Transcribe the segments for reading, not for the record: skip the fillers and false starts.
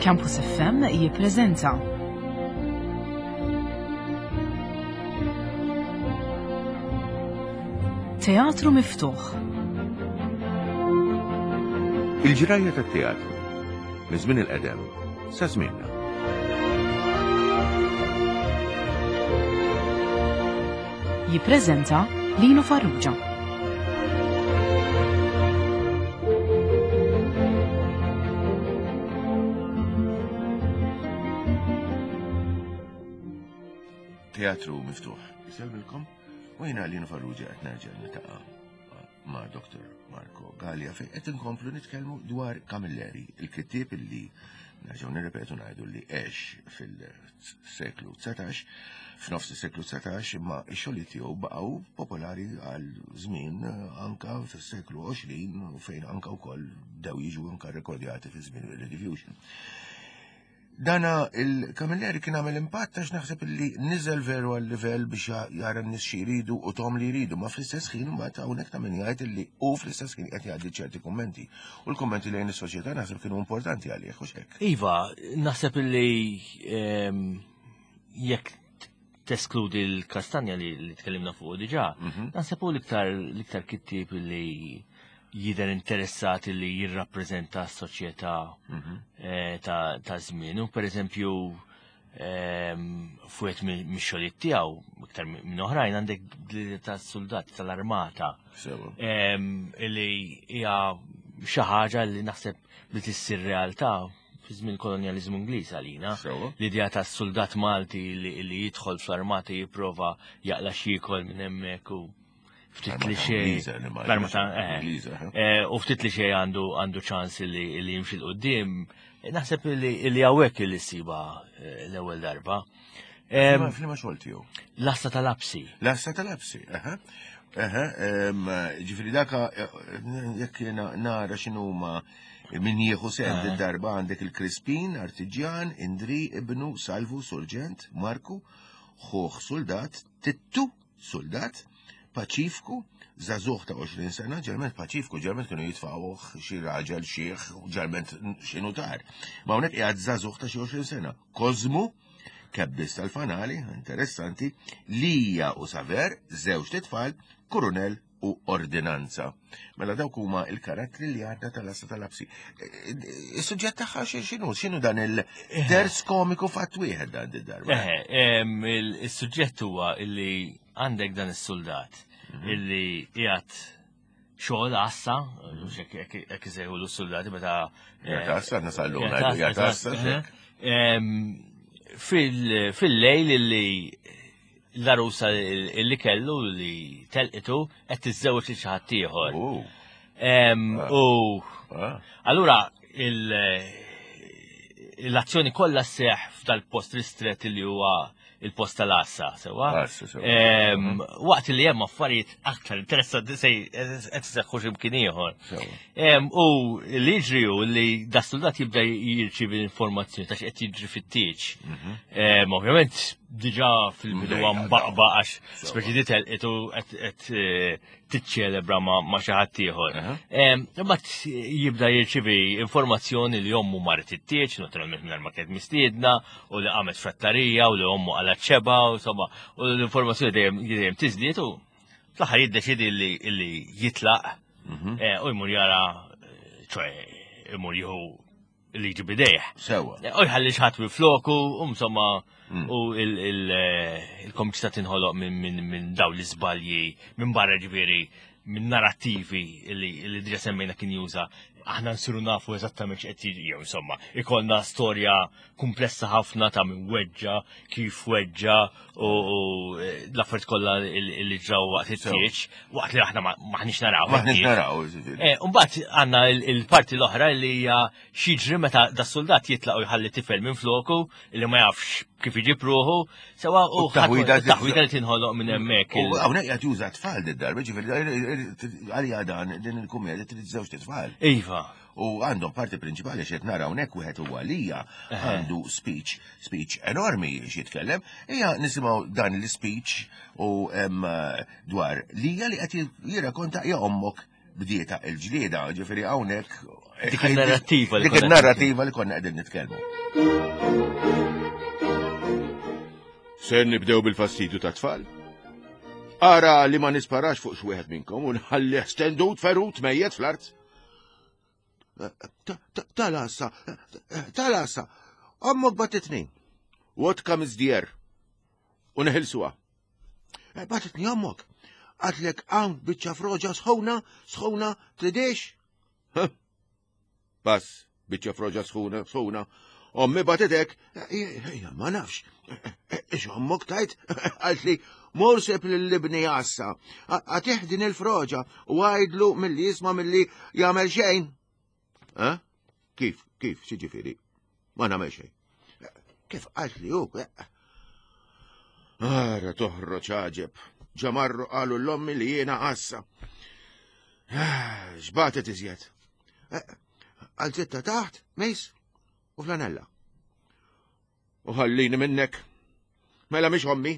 Campus FM jippreżenta Teatru Miftuħ. Il-ġrajja tat-teatru minn żmien il-qedem sa żmienna. Jippreżenta Lino Farrugia. Teatru miftuħ. Isellmilkom u jiena Lino Farrugia qed nerġa' niltaqa' ma' Dr. Marco Gallia fejn qed inkomplu nitkellmu dwar Camilleri, il-kittieb illi nerġgħu nirrepetu ngħidu li għex fil-seklu 19, f'nofs is-seklu 19, imma x-xogħlijiet tiegħu baqgħu popolari għal żmien anka fis-seklu 20 u fejn anka wkoll bdew jiġu anka rekordjati fi żmien il-Rediffusion. Dana il-Camilleri kien għamel impatt għax naħseb li niżel veru għal livell biex jara n-nies xi jridu u tom li jridu, ma fl-istess ħin mbagħad hawnhekk ta' min jgħid li hu fl-istess ħin qed jgħaddi ċerti kummenti. U l-kummenti lejn is-soċjetà naħseb kienu importanti għalih u hekk. Iva, naħseb li ehm, jekk teskludi l-kastanja li, li tkellimna fuq diġà, mhm. naħseb hu l-iktar l-iktar kittieb li jidher interessat li jirrappreżenta s-soċjetà mhm. eh, ta' żmienu. Per eżempju, ehm, fuq mix-xogħlijiet tiegħu iktar minn oħrajn għandek tas-soldati tal-armata. Ehm, li hija xi ħaġa li naħseb li tissir realtà fi żmien kolonjaliżmu Ingliż għalina. L-idea ta' soldat Malti li jidħol fl-armata jipprova jaqla x'jiekol minn hemmhekk u ftit li xej. L-armata eh. eh. eh, u ftit li xej għandu għandu ċans li jimxi l-qudiem. Naħseb li hawnhekk li siba l-ewwel darba. Flima xogħol tiegħu. L-asta tal-apsi. L-asta tal-apsi, aha. Aha, ġifieri daka jekk jiena nara x'inhuma Min jieħu sehem eh. darba għandek il-Crispin, Artiġjan, Indri, Ibnu, Salvu, Surġent, Marku, Ħuħ Soldat, Tittu, Soldat, Paċifku, Zazuħ ta' 20 sena, ġerment Paċifku, ġerment kienu jitfawħ xi raġel xieħ, ġerment xi nutar. Ma hawnhekk qiegħed żagħżugħ ta' xi 20 sena. Kozmu, kebbis tal-fanali, interessanti, Lija u Saver, żewġ titfal, Kurunel u ordinanza. Mela dawk huma il-karattri li għadna tal-assa tal-absi. E, e, is-suġġett tagħha x'inhu x'inhu dan il-terz komiku fatt wieħed dan id-darba. Is-suġġett huwa illi għandek dan is-soldat mhm. illi qiegħed xogħol għassa, hekk isejħu l-soldati meta. Qiegħed għassa, nasallu qiegħed għassa. Fil-lejl illi l-arusa li kellu li telqitu qed tiżżewweġ lil xi ħadd ieħor. Oh. Ah. U ah. allura l-azzjoni kollha sseħħ f'dal-post ristret li huwa il-post tal-għassa, sewa. Mhm. Waqt li hemm affarijiet aktar interessanti se qed iseħħu x'imkien ieħor. U li jiġri hu li da soldat jibda jirċievi l-informazzjoni ta' x'qed jiġri fit-tieġ. Mhm. Ovvjament diġà fil-bidu mbaqba għax speċi di telqitu qed eh, tiċċelebra ma' xi ħadd ieħor. Imbagħad jibda jirċievi informazzjoni li ommu marret it-tieġ, naturalment mingħajr ma kienet mistiedna, u li qamet frattarija u li ommu qalat xeba, u insomma, u l-informazzjoni dejjem dejjem tiżdied u fl-aħħar jiddeċidi li jitlaq mhm. eh, u jmur jara, ċoe, imur jieħu liġi bidejh. Sewa. Eh, u jħalli xħat minn floku, u insomma, mm. u eh, il-komiċità tinħoloq minn daw l-iżbalji, minn barra ġifieri, minn narrattivi li diġa semmejna kien juża, aħna nsiru nafu eżattament x'qed jiġri, jew insomma, ikollna storja kumplessa ħafna ta' min weġġa, kif weġġa u eh, l-affarijiet kollha li ġraw waqt it-tieġ, waqt li aħna maħniex naraw. Maħniex naraw. Eh, mbagħad għandna il-parti l-oħra li hija x'jiġri meta da soldat jitlaq u jħalli tifel minn floku li ma jafx kif iġib ruħu, sewa u taħwida li tinħoloq minn hemmhekk. U hawnhekk qed juża tfal did-darba, ġifieri għalija dan din il-kumedja trid żewġ tfal. Iva. U għandhom parti prinċipali xed nara hawnhekk wieħed huwa lija għandu speech, speech enormi jitkellem, hija nisimgħu dan l-speech u dwar lija li qed jirrakonta hija ommok. bdieta il-ġlieda, ġifieri hawnhekk Dik il-narrattiva li Dik il-narrattiva li konna qegħdin nitkellmu. Ser nibdew bil-fastidju ta' tfal. Ara li ma nisparax fuq xi minnkom u nħallih stendut ferut mejjet fl-art. Tal-assa, tal-assa, ommok batitni. What comes the air? U neħilsuha. Eh, batitni ommok. Għatlek hawn biċċa froġa sħuna, sħuna, tridix? Pass, biċċa froġa sħuna, sħuna. Ommi batitek, eh, ma nafx. Eh, ix ommok tajt, għalt li mor seb l-libni għassa, għatih din il-froġa u għajdlu mill-li jisma mill-li jagħmel xejn. Eh? Kif, kif, xieġifiri? Ma nagħmel xejn. Kif qalt li hu? Ara toħroġ għaġeb. Ġamarru qalu l-ommi li jiena għassa. Ah, x'batet iżjed? Eh, għal zitta taħt, mejs, u flanella. U ħallini minnek. Mela mhix ommi.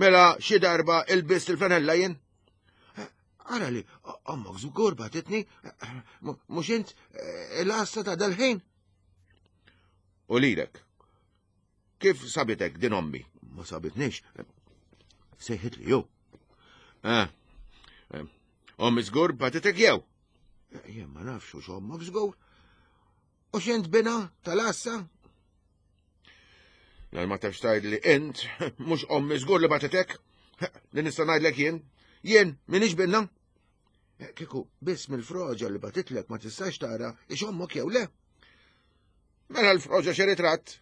Mela xi darba ilbist il-flanella jien. Ara li, ommok żgur batitni, mhux int eh, l-għassa ta' dal-ħin. U lilek, kif sabitek din ommi? Ma sabitnix. Sejħit li ju. Eh, eh, ommi żgur batitek jew? Jien ma nafx u ommok żgur. U xint bina tal-għassa? Lal ma tafx tgħid li int mhux ommi żgur li bagħtitek. Li nista' ngħidlek jien. Jien minix binna. Eh, kieku biss mill-froġa li batitlek ma tistax tara ix ommok jew le. Mela l-froġa xi ritratt.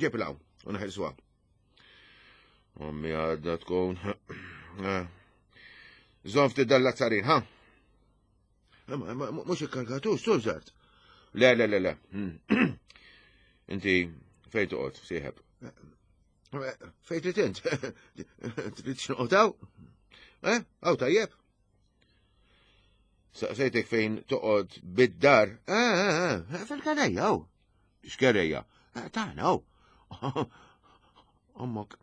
Ġib law u neħilsuha. Ommi għadda tkun. Eh. Żomm ftit dal-lazzarin, ha? Mux ikkargatu, sużart. Le, le, le, le. Inti fejn toqgħod, sieħeb? Fejn trid int? Trid x'noqgħod Eh? Aw tajjeb. Saqsejtek fejn toqgħod bid-dar. Eh, eh, eh, fil-kerejja, aw. X'kerejja? Tagħna, aw. Ommok,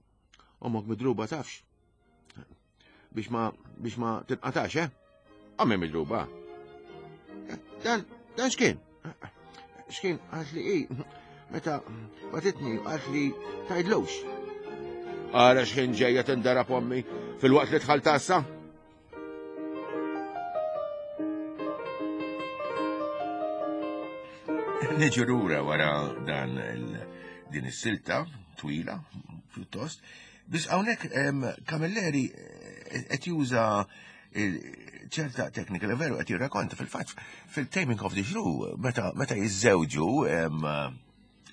ommok midruba tafx. Biex ma, biex ma tinqatax, eh? Għammi midruba. Dan, dan x'kien? X'kien għalt li i, meta batitni għalt li tajdlux. Ara x'ħin ġejja tindara pommi fil-waqt li tħal tassa. Niġu lura wara dan din is-silta twila pjuttost Biss hawnhekk Camilleri eh, qed juża ċerta teknika li veru qed jirrakonta fil-fatt fil-Taming of the Shrew meta meta jiżżewġu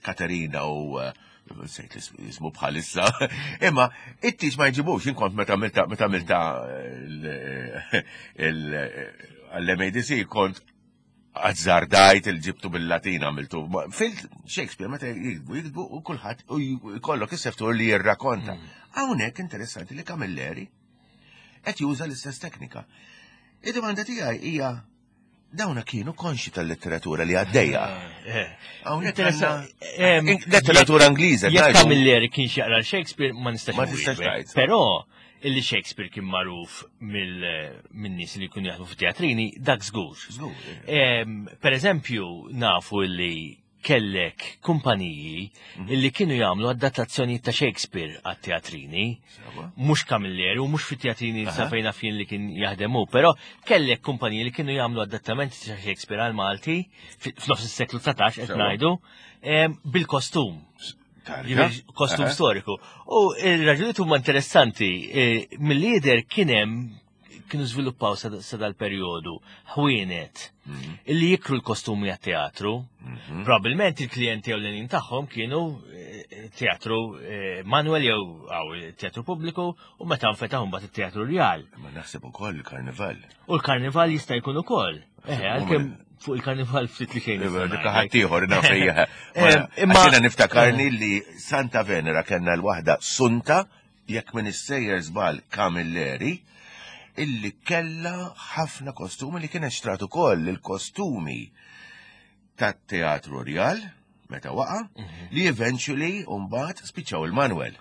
Katerina u eh, sejt jismu bħalissa, imma it-tiġ ma jġibux, inkont meta milta meta milta l-MADC kont azzardajt il-ġibtu bil-Latin għamiltu. Fil-Shakespeare meta jiktbu, jiktbu u kulħadd u jkollok is-seftur li jirrakonta. Mm. Hawnhekk interessanti li Camilleri qed juża l-istess teknika. Id-domanda tiegħi hija dawna kienu konxi tal-letteratura li għaddejja. Eh, eh. Hawnhekk eh, letteratura Ingliża. Jekk Camilleri kien jaqra Shakespeare ma nistax. Ma nistax Però illi Shakespeare kien magħruf min-nies li jkunu jaħdmu fit-teatrini, dak żgur. Eh. Per eżempju, nafu illi kellek kumpaniji mhm. illi kienu jagħmlu adattazzjoni ta' Shakespeare għat-teatrini, mhux Camilleri u mhux fit-teatrini sa fejn jien li kien jaħdemu, però kellek kumpaniji li kienu jagħmlu adattamenti ta' Shakespeare għal Malti f'nofs is-seklu 19 qed ngħidu bil-kostum. Kostum storiku. U il-raġunijiet huma interessanti. E, mill-lider kien hemm kienu żviluppaw sa dal-perjodu ħwienet mhm. illi jikru l-kostumi għat-teatru. Mhm. Probabilment il-klijenti ewlenin tagħhom kienu e, teatru e, Manuel jew għaw teatru pubbliku u meta nfetaħ mbagħad it-teatru Rjal. Ma naħseb ukoll il-karnival. U l-karnival jista' jkun ukoll. Eh, għalkemm fuq il-karnival ftit li xejn. Ħaddieħor naf hija. Eh, imma jiena niftakarni li Santa Venera kellna l-waħda Sunta jekk minn issejjer żball Camilleri illi kella ħafna kostumi li kienet xtrat ukoll il-kostumi tat-Teatru Rjal meta waqa' mhm. li eventually mbagħad spiċċaw il-Manuel.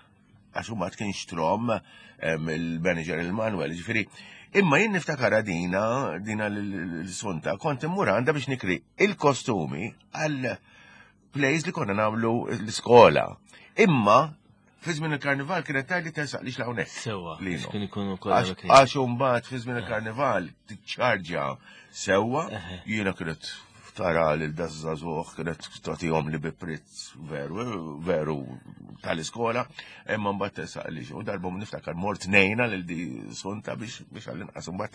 Għax mbagħad kien xtrom il-manager il-Manuel, ġifieri. Imma jien niftakara dina, dina l-sunta, kont immur għandha biex nikri il-kostumi għal plays li konna nagħmlu l-iskola. Imma fi żmien il-karnival kienet tgħidli tersaqlix l-hawnhekk. Sewwa, Lino. kien ikunu kollha Għax kien. għax imbagħad fi żmien il-karnival tiċċarġa sewwa, jiena kienet tara lil dażżagħżugħ kienet tagħtihom li bi prezz veru, veru tal-iskola, imma mbagħad tersaqlix. U darba niftakar mort nejna lil di sunta biex biex għall-inqas imbagħad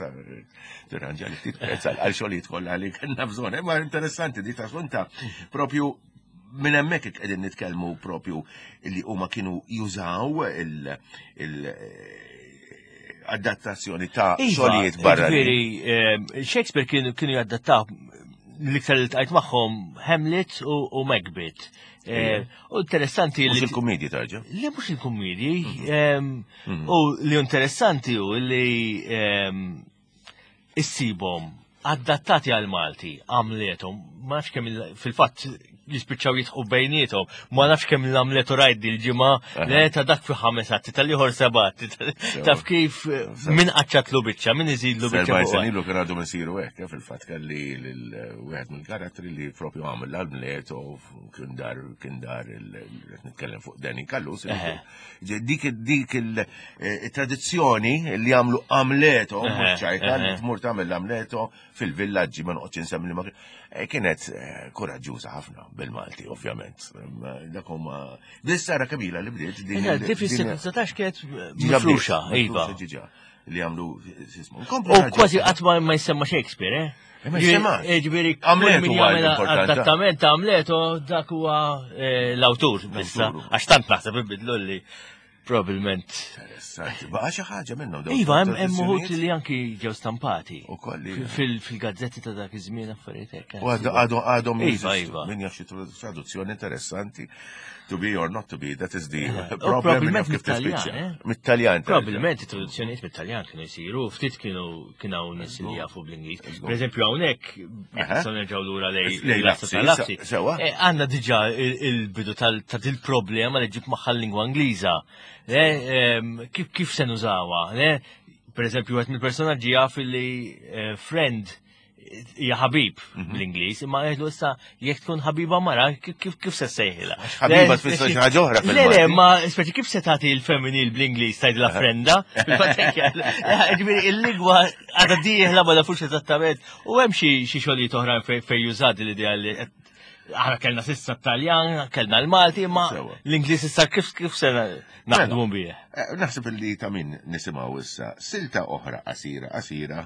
tirranġa li ftit prezz għal xogħlijiet kollha li kellna bżonn. Imma interessanti di ta' sunta propju minn hemmhekk qegħdin nitkellmu propju li huma kienu jużaw il- il- adattazzjoni ta' Iva, xogħlijiet barra. Ġifieri, Shakespeare kienu kienu jadattaw l-iktar li tqajt magħhom Hamlet u u Macbeth. U interessanti Mhux li il-kumedji tarġa. Le mhux il-kummedji, u li interessanti u li issibhom adattati għal Malti, għamletom, ma nafx kemm fil-fatt jispiċċaw jitħu bejniethom, ma nafx kemm l-Amletu rajt dil-ġimgħa, le ta' dak fi ħames atti, tal-ieħor seba' atti, taf kif min qaċċatlu biċċa, min iżidlu biċċa. Serbajn fuqha. sen ilu kien għadhom isiru hekk, fil-fatt kelli lil wieħed mill-karattri li propju għamel l-Amleto kien dar kien dar qed nitkellem fuq Danny Callus. Dik dik il-tradizzjoni li għamlu Amleto, mhux ċajta li tmur tagħmel l-Amleto fil-villaġġi ma noqgħodx insemmi li ma kienet kuraġġuża ħafna bil-Malti, ovvjament. Dak huma Dis sara kabila li bdiet din. Dik fis-seklu 19 kienet mifruxa, iva. Ġiġa li għamlu sismu. U kważi qatt ma jsemma Shakespeare, eh? Ma jsemmax. Ġifieri, Amleto min huwa jagħmel l-importanti. adattament ta' Amleto dak huwa l-awtur issa. L-awtur. Għax tant naħseb ibidlu li probabbilment. Interessanti. Baqa xi ħaġa minnhom dawn Iva, hemm hemm uħud tradizzjonijiet? li anki ġew stampati. U kolli. Fil-gazzetti ta' dak iż-żmien affarijiet hekk. U għadhom għadhom Iva, jeżistu. iva. Min jaf xi traduzzjoni interessanti. To be or not to be, that is the U problem. Min jaf probabbilment kif mit-Taljan, tispiċċa. eh? Mit-Taljan. Probabilment it-traduzzjonijiet mit-Taljan kienu jsiru, ftit kienu kien hawn nies li jafu bl-Ingliż. Per eżempju hawnhekk, jekk nistgħu nerġgħu lura lej Lej l-Lazza Lazzi, tal-Lazzi. sewa. Għandna diġà il-bidu ta' dil-problema li ġib magħha l-lingwa Ingliża. Kif se nużawha? Per eżempju, wieħed mill-personaġġi jaf li friend hija ħabib bl-Ingliż, imma jgħidlu issa jekk tkun ħabiba mara, kif se ssejħilha? Ħabiba tfisser xi ħaġa oħra Le, le, fil-Malti. ma speċi kif se tagħti l-femminil bl-Ingliż tgħidilha frenda? Fil-fatt hekk jgħid. Ġifieri il-lingwa għadha dieħla ma nafux eżattament. U hemm xi xogħlijiet oħrajn fejn jużat l-idea li aħna kellna sissa t-Taljan, kellna l-Malti, imma Sewa. l-Ingliż issa kif se naħdmu bih. Naħseb li ta' min nisimgħu issa silta oħra qasira qasira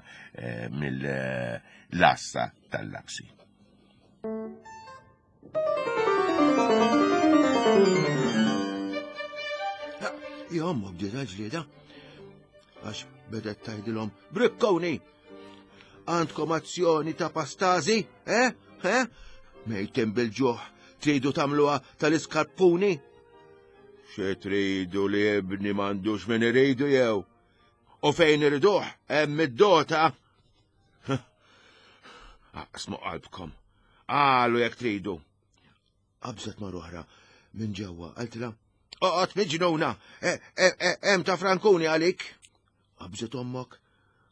mill-lassa tal-lapsi. Jommu bdiet ġlieda għax bedet tgħidilhom brikkoni għandkom azzjoni ta' pastazi, eh? Eh? Mejtin bil-ġuħ, tridu tagħmluha tal-iskarpuni? Xi tridu li ibni m'għandux min iridu jew? U fejn iriduh hemm id-dota. Aqsmu qalbkom. Qalu jekk tridu. Qabżet mar oħra minn ġewwa, qaltilha, Oqgħod miġnuna, hemm ta' Frankuni għalik. Qabżet ommok.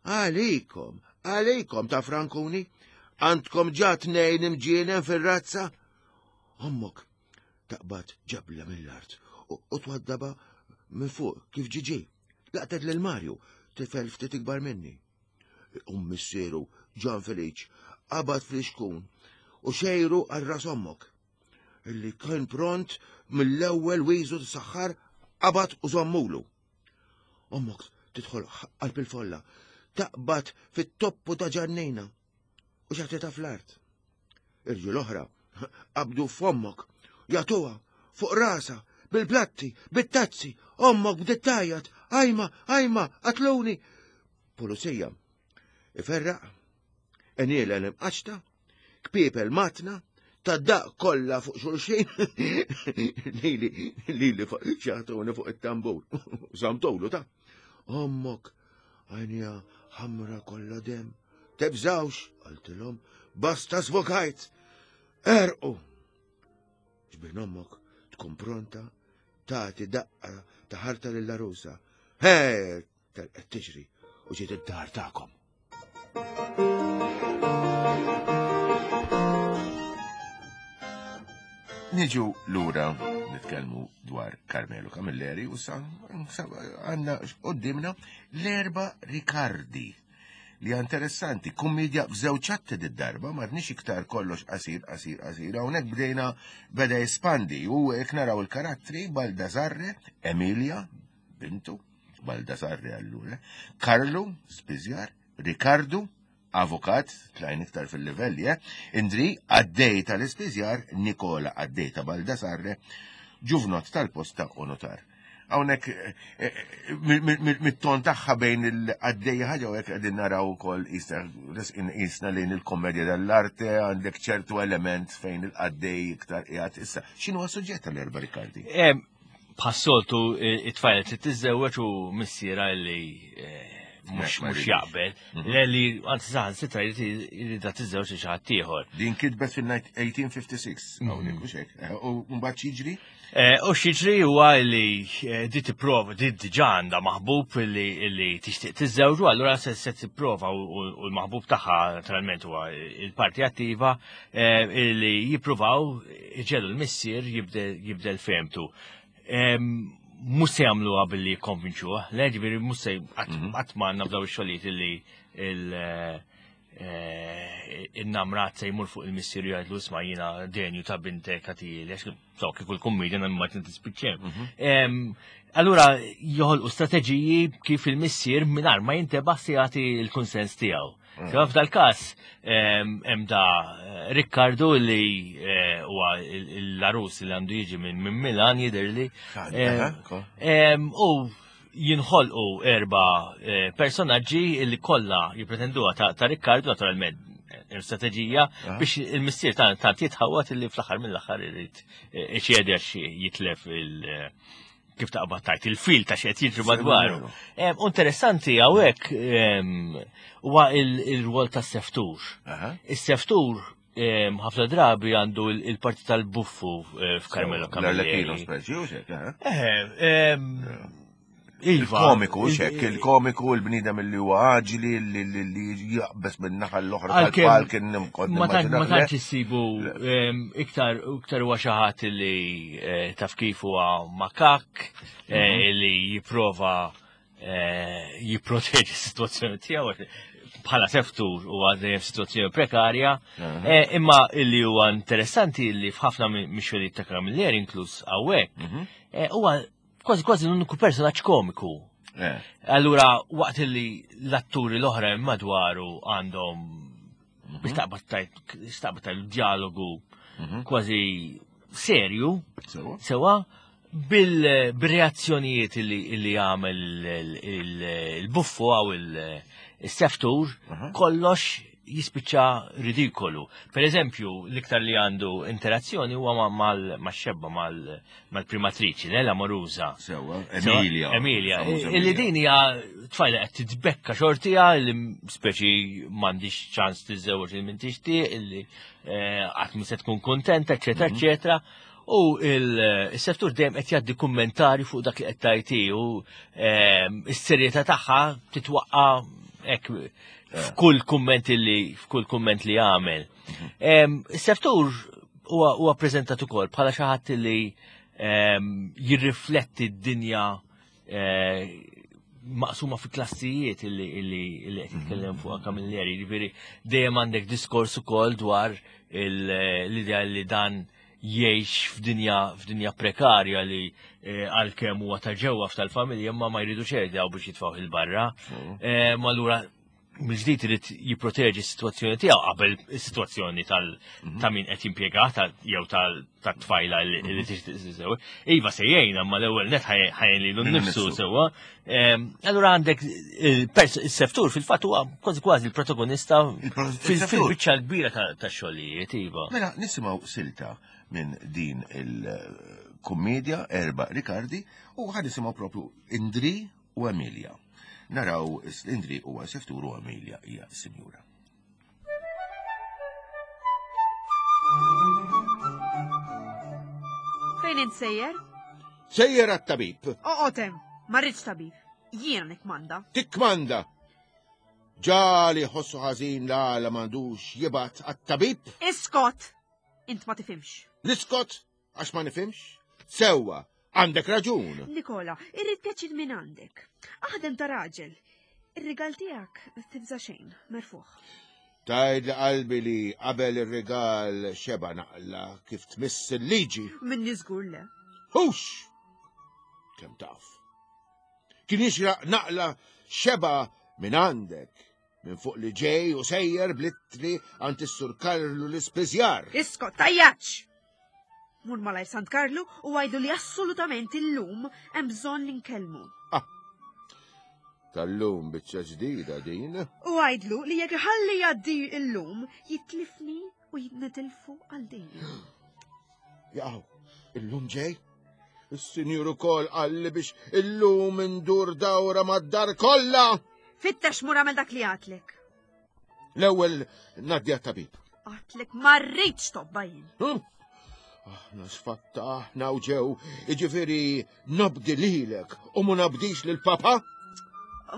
Għalikom, għalikom ta' Frankuni. Għandkom ġa tnejn imġienen fir-razza. Ommok taqbad ġabla mill-art u twaddaba minn fuq kif ġiġi. Laqtet lil Marju, tifel ftit ikbar minni. Missieru Ġan Feliċ qabad fl-ixkun u xejru għal ras ommok. Illi kien pront mill-ewwel wiżu t-saħħar qabad u żommulu. Ommok tidħol qalb il-folla, taqbad fit-toppu ta' ġannina u xaħtitha fl-art. Irġiel oħra qabdu f'ommok, jagħtuha fuq rasa, bil-platti, bit-tazzi, ommok bdiet tgħajjat, ajma, ajma, qatluni. Pulizija iferraq, eniela l-imqaċta, kpiepel matna, ta' daq kollha fuq xulxin, lili, lili xaħtuni fuq it-tambur, samtulu ta' ommok, għajnija ħamra kollha dem, tebżawx, qaltilhom, basta svokajt, erqu. Ġbin ommok tkun pronta, tagħti daqqa ta' ħarta lill-arusa. He, telqet tiġri. u ġiet id-dar tagħkom. Niġu lura nitkellmu dwar Carmelo Camilleri u sa għandna qoddimna l-erba Ricardi li interessanti, kummedja f'żewġ atti darba ma rnix iktar kollox qasir, qasir, qasir, hawnhekk bdejna beda jespandi u hekk naraw il-karattri Baldassarre, Emilia, bintu, Baldassarre allura, Karlu, Spiżjar, Ricardu, avukat, tlajn iktar fil-livelli, eh? Indri, għaddej tal-ispiżjar, Nikola għaddej ta' Baldassarre, ġuvnot tal-posta u notar. Hawnhekk eh, eh, mit-ton tagħha bejn il-għaddej ħaġa u hekk qegħdin naraw ukoll isna lejn il-komedja dell-arte għandek ċertu element fejn il-għaddej iktar qiegħed issa. X'inhu suġġett tal-erba' Ricardi? Bħas-soltu it-tfajla trid tiżżewweġ u missiera li eh, mhux jaqbel. Mhm. Le li anzi saħan sitra jridha tiżżewweġ xi ħadd ieħor. Din kitbet fil-1856 mhm. hawnhekk mhux hekk. Eh, u mbagħad x'jiġri? Eh, u x'jiġri huwa li di tipprova di diġà għandha maħbub li tixtieq tiżżewġu, allura se tipprova u l-maħbub tagħha naturalment huwa il-parti attiva li jippruvaw iġelu l-missier jibdel fehmtu. Mhux se jagħmluha billi jikkonvinċuh, le ġifieri mhux se mhm. qatt ma għandna f'daw ix-xogħlijiet illi eh, il-namrat se jmur fuq il-missier jgħidlu isma' jiena denju ta' bintek għatili, għax so kieku l-kummedja ma tispiċċem. Mhm. Allura joħolqu strateġiji kif il-missier mingħajr ma jintebaħ se jagħti l-kunsens tiegħu. Mm. Sewa f'dal-każ hemm da eh, Riccardo li eh, huwa l-arus li għandu jiġi minn Milan jidhirli. U jinħolqu erba eh, personaġġi li kollha jippretenduha ta' Riccardo naturalment strateġija biex il-missier ta' tant jitħawat li fl-aħħar mill-aħħar irid iċedi għax jitlef il- kif taqbad tajt il-fil ta' xed jiġri madwaru. Interessanti hawnhekk huwa il-rwol tas-seftur. Is-seftur ħafna drabi għandu il-parti tal-buffu eh, f'Carmelo Camilleri. Eh, Iva. Il-komiku, xek, il-komiku, il-bnidem li huwa aġli, li jaqbes minn naħa l-oħra tal-palk, nimkod. Ma tantx issibu iktar iktar huwa xi ħadd li eh, taf kif huwa makak, eh, mhm. li jipprova eh, jipproteġi s-sitwazzjoni tiegħu bħala seftur u għaddejjem situazzjoni prekarja, imma illi huwa interessanti li f'ħafna mix-xogħlijiet ta' Camilleri inkluż hawnhekk, mhm. huwa kważi kważi l-uniku personaġġ komiku. Eh. Allura, waqt li l-atturi l-oħra madwaru għandhom mhm. biex taqbad tajt dialogu mhm. kważi serju, sewa, bil-reazzjonijiet li għamel il-buffu għaw il-seftur, kollox jispiċċa ridikolu. Per eżempju, l-iktar li għandu interazzjoni huwa mal-xebba, mal-primatriċi, l Morusa. Sewa, Emilia. Emilia. Illi din hija tfajla qed titbekka xortija li speċi m'għandix ċans tiżżewweġ il min tixtieq, illi eh, qatt se tkun kontenta, eċetera, mhm. eċetera. U il-settur dejjem qed jgħaddi kummentari fuq dak li qed tajti u ehm, s-serjetà tagħha titwaqqa' hekk f'kull kumment li f'kull kumment li għamel. Mhm. Is-seftur huwa preżentat ukoll bħala xi ħadd li jirrifletti d-dinja eh, maqsuma fi klassijiet illi qed jitkellem mhm. fuq Camilleri, jiġifieri dejjem għandek diskors ukoll dwar l-idea li dan jgħix f'dinja f'dinja prekarja li eh, għalkemm huwa ta' ġewwa f'tal-familja imma ma jridu xejn biex jitfgħu il-barra. Mm. Eh, ma allura mill-ġdid irid jipproteġi s-sitwazzjoni tiegħu qabel is-sitwazzjoni tal mhm. ta' min qed jimpjega jew tat-tfajla li mhm. tixtieq tiżewweġ. Iva se jgħin imma l-ewwel net ħajjin lilu nnifsu sewwa. Ehm, allura għandek il-seftur fil-fatt huwa kważi kważi l-protagonista fil-biċċa l-kbira ta' xogħlijiet, iva. Mela nisimgħu silta minn din il-kummedja Erba' Ricardi u ħad nisimgħu propju Indri u Emilia. Naraw Indri huwa seftur u Emilia hija sinjura. Fejn int sejjer? Sejjer għat-tabib. Oqgħod hemm, ma rridx tabib. Jiena nikkmanda. Tikkmanda! Ġali ħossu ħażin l-għala m'għandux jibgħat għat-tabib. Iskot! Int ma tifhimx. Niskot għax ma nifhimx? Sewwa, għandek raġun. Nikola, irrid pjaċir minn għandek. Aħdem ta' raġel. Ir-rigal tiegħek tibża' xejn, merfuħ. Tajd li qalbi li qabel ir-rigal xeba naqla kif tmiss il-liġi. Minni żgur le. Hux! Kemm taf. Kien jixraq naqla xeba minn għandek, minn fuq li ġej u sejjer blittri għand is-Sur Karlu l-ispiżjar. Iskot, tajjaċ! Mur malajr Sant Karlu u għajdu li assolutament illum hemm bżonn li nkellmu. Ah, tal-lum biċċa ġdida din. U għajdlu li jekk iħalli jgħaddi illum jitlifni u jitnitilfu għal dejjem. Jaqaw, illum ġej? Is-sinjur ukoll qalli biex illum indur dawra mad-dar kollha. Fittex mur għamel dak li għatlek. L-ewwel ngħaddi għat-tabib. Għatlek ma rridx tobba jien. Hm? Aħna sfatta aħna u ġew, jiġifieri nobdi lilek u ma nobdix lil papa?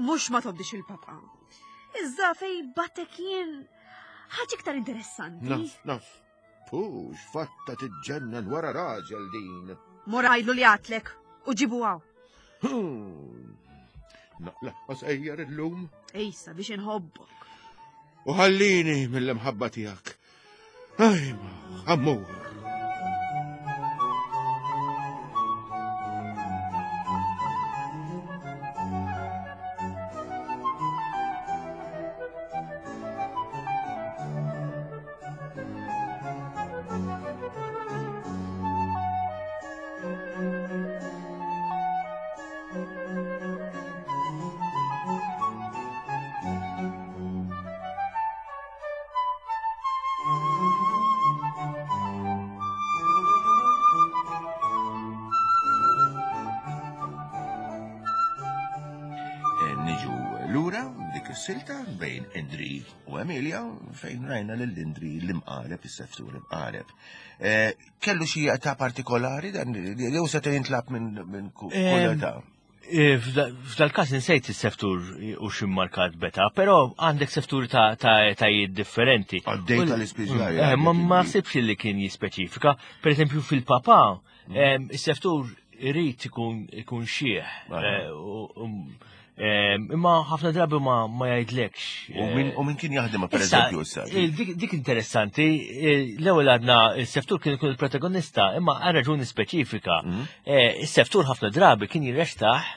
Mhux ma tobdix il-papa. Iżda fej batek jien ħaġa iktar interessanti. Naf, naf. Pux, fatta tiġġennan wara raġel din. Mur għajlu li għatlek u ġibu għaw. Hmm. Naqla sejjer illum. Ejsa biex inħobbok. U ħallini mill-imħabba tiegħek. Ajma, ħammur. Eh, niġu lura dik is-silta bejn Indri u Emilia fejn rajna lil Indri l-imqaleb, is-seftur l-imqaleb. Eh, kellu xi età partikolari dan jew seta' jintlab minn kull età? Eh, f'dal-każ insejt is-seftur u x'immarkat beta, però għandek seftur ta' etajiet differenti. Għaddej tal-ispiżjar. Eh, ma ma sibx li kien jispeċifika. Per eżempju fil-papa, mm. is-seftur irid ikun xieħ. Imma ħafna drabi ma ma jgħidlekx. U min kien jaħdem per eżempju issa? Dik interessanti, l-ewwel għadna s-seftur kien ikun il-protagonista, imma għal raġuni speċifika. Mhm. Is-seftur ħafna drabi kien jirrextaħ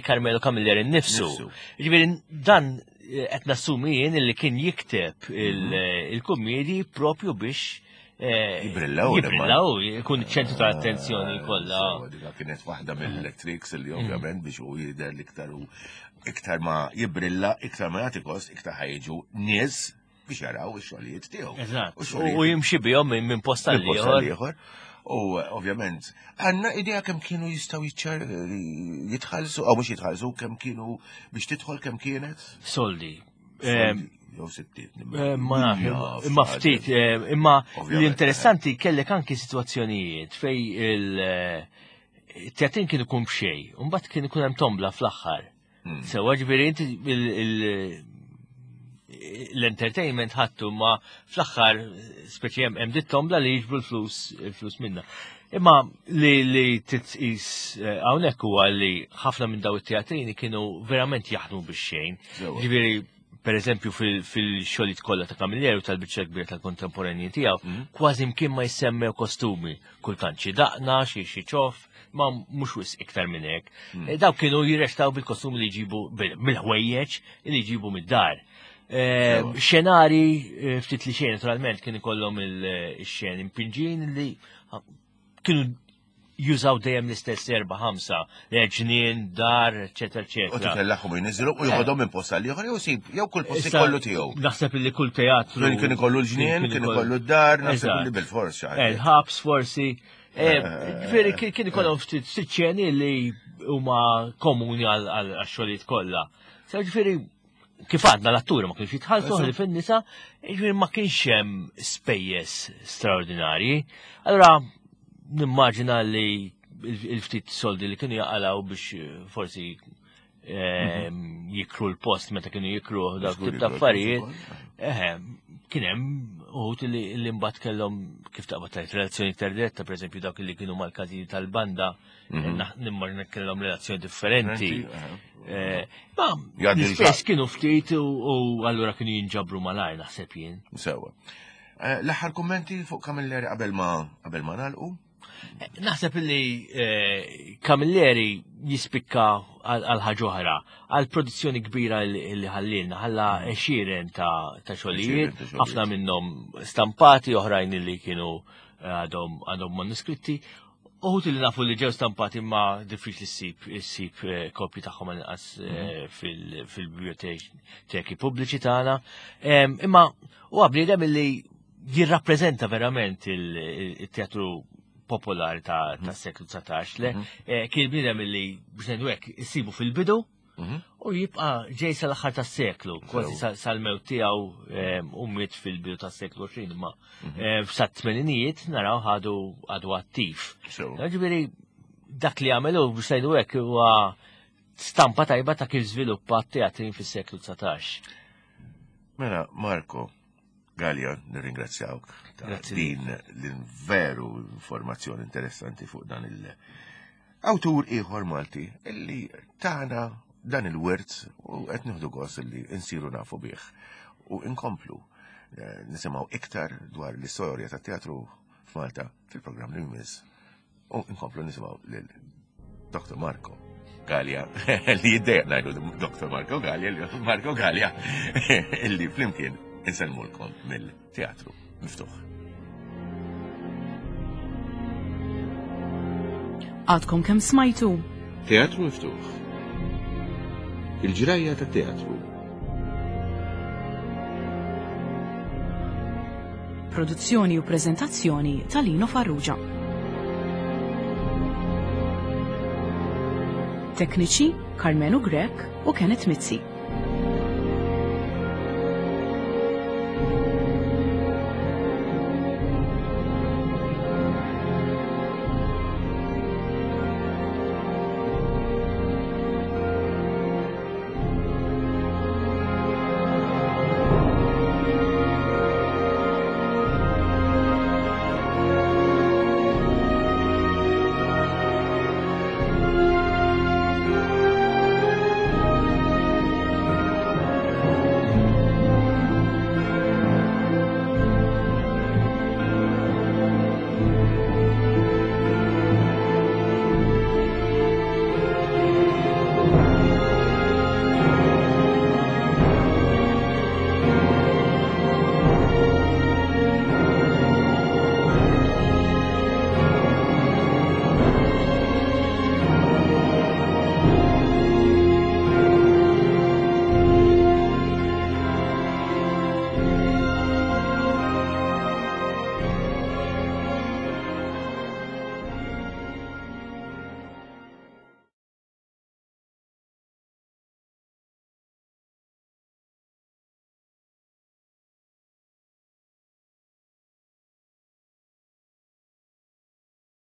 Carmelo Camilleri nnifsu. Ġifieri dan qed nassumi jien li kien jikteb mhm. il-kummedji propju biex Jibrillaw. Jibrillaw, jkun ċentru ta' attenzjoni eh, kollha. Dika kienet waħda mill-tricks li mm. ovvjament biex u jidher l-iktar u iktar ma jibrilla, iktar ma jagħti kost, iktar ħajġu nies biex jaraw ix-xogħlijiet tiegħu. Eżatt. U jimxi bihom minn posta l-ieħor. U ovvjament, għanna idea kemm kienu jistaw jitħallsu, għaw mhux jitħallsu, kemm kienu biex tidħol kemm kienet? Soldi. Jew sittiet. Eh, ma nafx, imma ftit, eh, imma l-interessanti kellek anki situazzjonijiet fej il-teatrin eh, kien ikun b'xej, u mbagħad kien ikun hemm tombla fl-aħħar. Hmm. Sewa ġifieri inti l-entertainment ħattu ma fl-aħħar speċi hemm dit tombla li jiġbru l-flus il-flus minna. Imma li li titqis eh, hawnhekk huwa li ħafna minn daw it-teatrini kienu verament jaħdmu bix-xejn. Ġifieri per eżempju fil-xogħlijiet kollha ta' Camilleri u tal-biċċa kbira tal-kontemporanji tiegħu, mhm. kważi mkien ma jsemmew kostumi, kultant xi daqna, xi xi ċoff, ma mhux wisq iktar minn hekk. Mhm. Eh, dawk kienu jirrestaw bil-kostumi li jġibu mill-ħwejjeġ li jġibu mid-dar. Eh, xenari eh, ftit li xejn naturalment kien ikollhom il-xen impinġin li kienu jużaw dejjem l-istess erba' ħamsa, ġnien, dar, eċetera, eċetera. U titellaħħom jniżlu u joħodhom minn posta li ieħor jew sib jew kull post ikollu tiegħu. Naħseb li kull teatru. Kien ikollu l-ġnien, kien ikollu d-dar, naħseb li bil-fors eh, Il-ħabs forsi. Eh, ġifieri kien ikollhom ftit ċeni li huma komuni għal xogħlijiet kollha. Ġifieri kif għadna l-atturi ma kienx jitħallsu ħli fin-nisa, jiġifieri ma kienx hemm spejjeż straordinarji. Allura nimmaġina li il-ftit soldi li kienu jaqalaw biex eh, forsi Jikru l-post meta kienu jikru dak tip ta' affarijiet. Eħe, kien hemm uħud li mbagħad kellhom kif taqbad tajt relazzjoni iktar diretta, pereżempju dawk li kienu mal-każini tal-banda, nimmaġina kellhom relazzjoni differenti. Eh, ma l-istess kienu ftit u allura kienu jinġabru malajr naħseb jien. Sewa. Eh, l-aħħar kummenti fuq Camilleri qabel ma qabel ma nagħlqu? Naħseb li eh, Camilleri jispikka għal ħaġa oħra, għal produzzjoni kbira li ħallilna, ħalla għexieren ta' xogħlijiet, ħafna minnhom stampati, oħrajn li kienu eh, għadhom għadhom manuskritti. Uħut li nafu li ġew stampati ma diffiċli ssib issib eh, kopji tagħhom inqas fil-biblioteki pubbliċi tagħna. Imma huwa bniedem li jirrappreżenta verament il-teatru popolari ta' mhm. seklu 19 le mhm. eh, kien bniedem li biex ngħidu hekk issibu fil-bidu mhm. u jibqa' ġej sal-aħħar tas-seklu, kważi sal-mewt tiegħu eh, u miet fil-bidu tas-seklu 20 imma eh, sat-tmeninijiet naraw ħadu għadu attiv. Ġifieri dak li għamelu biex ngħidu hekk huwa stampa tajba ta' kif żviluppa t-teatrin fis-seklu 19. Mela, Marco, Gallia, nirringrazzjawk ta' din l-veru informazzjoni interessanti fuq dan il-awtur ieħor Malti illi tana dan il-wirt u qed nieħdu gost illi nsiru nafu bih u nkomplu eh, nisimgħu iktar dwar l-istorja tat-teatru f'Malta fil-programm li jmiss U nkomplu nisimgħu lil Dr. Marco Gallia, li jiddejjaq ngħidu Dr. Marco Gallia, li Marco Gallia, illi flimkien insellmulkom mill-teatru miftuħ. Għadkom kemm smajtu? Teatru miftuħ. Il-ġrajja ta' teatru. Produzzjoni u preżentazzjoni ta' Lino Farrugia. Tekniċi Carmenu Grech u Kenneth Mizzi.